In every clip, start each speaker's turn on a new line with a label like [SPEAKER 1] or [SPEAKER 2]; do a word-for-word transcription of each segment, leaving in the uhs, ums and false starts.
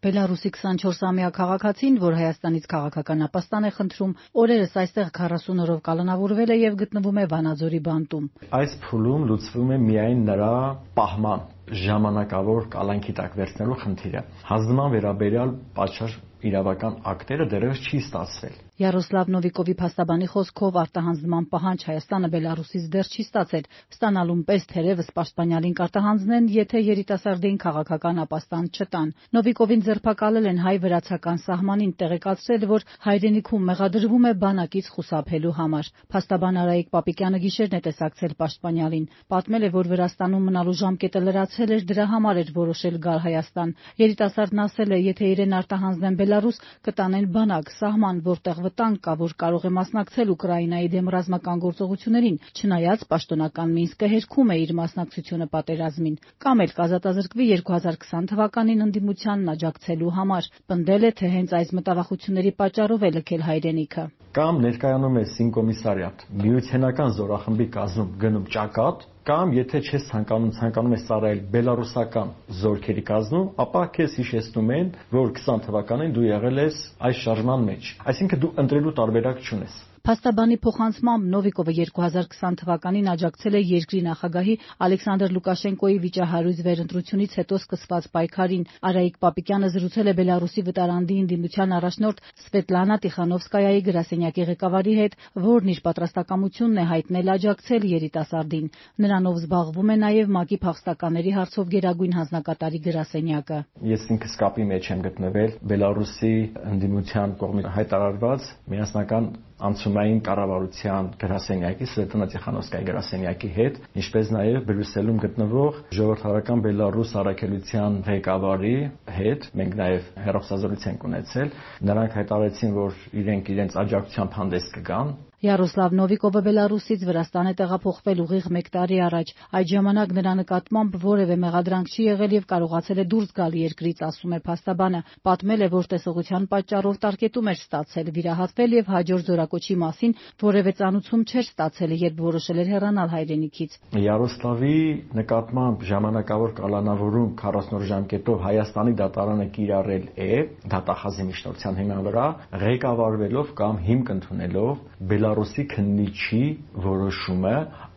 [SPEAKER 1] Բելարուսի քսանչորսամյա քաղաքացին, որ Հայաստանից քաղաքական ապաստան է խնդրում, օրերս այստեղ քառասուն օրով կալանավորվել է եւ գտնվում է Վանաձորի բանտում։
[SPEAKER 2] Այս փուլում լուծվում է միայն նրա պահման ժամանակավոր կալանքի տակ վերցնելու խնդիրը։ Հանձնման վերաբերյալ պատշաճ իրավական ակտերը դեռևս չի ստացվել։
[SPEAKER 1] Յարոսլավ Նովիկովի փաստաբանի խոսքով արտահանձնման պահանջ Հայաստանը Բելարուսից դեռ չի ստացել, ստանալուն պես թերևս պաշտպանյալին կարտահանձնեն, եթե երիտասարդին քաղաքական ապաստան չտան։ Նովիկովին ձերբակալել են հայ-վրացական սահմանին, տեղեկացրել, որ հայրենիքում մեղադրվում է բանակից խուսափելու համար։ Փաստաբան Արայիկ Պապիկյանը գիշերն է տեսակցել պաշտպանյալին, պատմել է, որ Վրաստանում մնալու ժամկետը լրացել էր, դրա համար էր որոշել գալ Հայաստան։ Երիտասարդն ասել է, եթե իրեն արտահանձնեն Բելարուս, կտանեն բանակ, սահման, որտեղ վտանգ կա, որ կարող է մասնակցել Ուկրաինայի դեմ ռազմական գործողություններին, չնայած պաշտոնական Մինսկը հերքում է իր մասնակցությունը պատերազմին, կամ էլ կազատազրկվի երկու հազար քսան թվականին ընդդիմությանն աջակցելու համար։ Պնդել է, թե հենց այս մտավախությունների պատճառով է լքել հայրենիքը։
[SPEAKER 2] Կամ ներկայանում է Սինկոմիսարիատ, միութենական զորախմբի կազմում գնում ճակատ, կամ եթե չես ցանկանում ցանկանում ես ծառայել բելարուսական զորքերի կազմում, ապա քեզ հիշեցնում են, որ քսան թվականին դու եղել ես այս շարժման մեջ։ Այսինքն դու ընտրելու տարբերակ չունես։
[SPEAKER 1] Փաստաբանի փոխանցմամբ Նովիկովը երկու հազար քսան թվականին աջակցել է երկրի նախագահի Ալեքսանդր Լուկաշենկոյի վիճահարույց վերընտրությունից հետո սկսված պայքարին։ Արայիկ Պապիկյանը զրուցել է Բելարուսի վտարանդի ընդդիմության առաջնորդ Սվետլանա Տիխանովսկայայի գրասենյակի ղեկավարի հետ, որն իր պատրաստակամությունն է հայտնել աջակցել երիտասարդին։ Նրանով զբաղվում է նաև ՄԱԿ-ի փախստականների հարցով գերագույն հանձնակատարի գրասենյակը։
[SPEAKER 2] Ես ինքս կապի մեջ եմ գտնվել Բելարուսի ընդդիմության կողմից հայտարարված միասնական անցումային կառավարության գրասենյակի Սվետլանա Տիխանովսկայի գրասենյակի հետ, ինչպես նաև Բրյուսելում գտնվող ժողովրդավարական Բելարուս առաքելության ղեկավարի հետ մենք նաև հեռախոսազրույց ենք ունեցել։ Նրանք հայտարարեցին, որ իրենք իրենց աջակցությամբ հանդես կգան։
[SPEAKER 1] Յարոսլավ Նովիկովը Բելարուսից Վրաստան է տեղափոխվել ուղիղ մեկ տարի առաջ։ Այդ ժամանակ նրա նկատմամբ որևէ մեղադրանք չի եղել եւ կարողացել է դուրս գալ երկրից, ասում է փաստաբանը։ Պատմել է, որ տեսողության պատճառով տարկետում էր ստացել, վիրահատվել եւ հաջորդ զորակոչի մասին որևէ ծանուցում չէր ստացել, երբ որոշել էր հեռանալ հայրենիքից։
[SPEAKER 2] Յարոսլավի նկատմամբ ժամանակավոր կալանավորում քառասուն օր ժամկետով Հայաստանի դատարանը կիրառել է դատախազի միջնորդության հիման վրա, ղեկավարվելով կամ հիմք ընդունելով Բելարուսի քննիչի որոշումը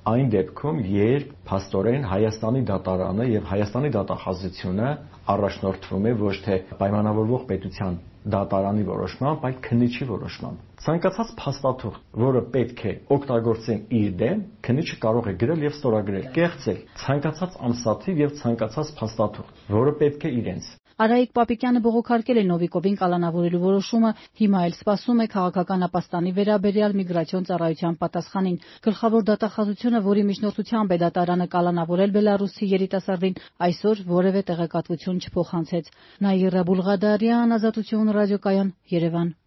[SPEAKER 2] այն դեպքում, երբ փաստորեն Հայաստանի դատարանը եւ Հայաստանի դատախազությունը առաջնորդվում է ոչ թե պայմանավորվող պետության դատարանի որոշմամբ, այլ քննիչի որոշմամբ։ Ցանկացած փաստաթուղթ, որը պետք է օգտագործեն իր դեմ, քննիչը կարող է գրել եւ ստորագրել, կեղծել ցանկացած ամսաթիվ եւ ցանկացած փաստաթուղթ, որը պետք է իրենց։
[SPEAKER 1] Արայիկ Պապիկյանը բողոքարկել է Նովիկովին կալանավորելու որոշումը, հիմա էլ սպասում է քաղաքական ապաստանի վերաբերյալ միգրացիոն ծառայության պատասխանին։ Գլխավոր դատախազությունը, որի միջնորդությամբ է դատարանը կալանավորել Բելարուսի երիտասարդին, այսօր որևէ տեղեկատվություն չփոխանցեց։ Նաիրա Բուլղադարյան, Ազատություն ռադիոկայան, Երևան։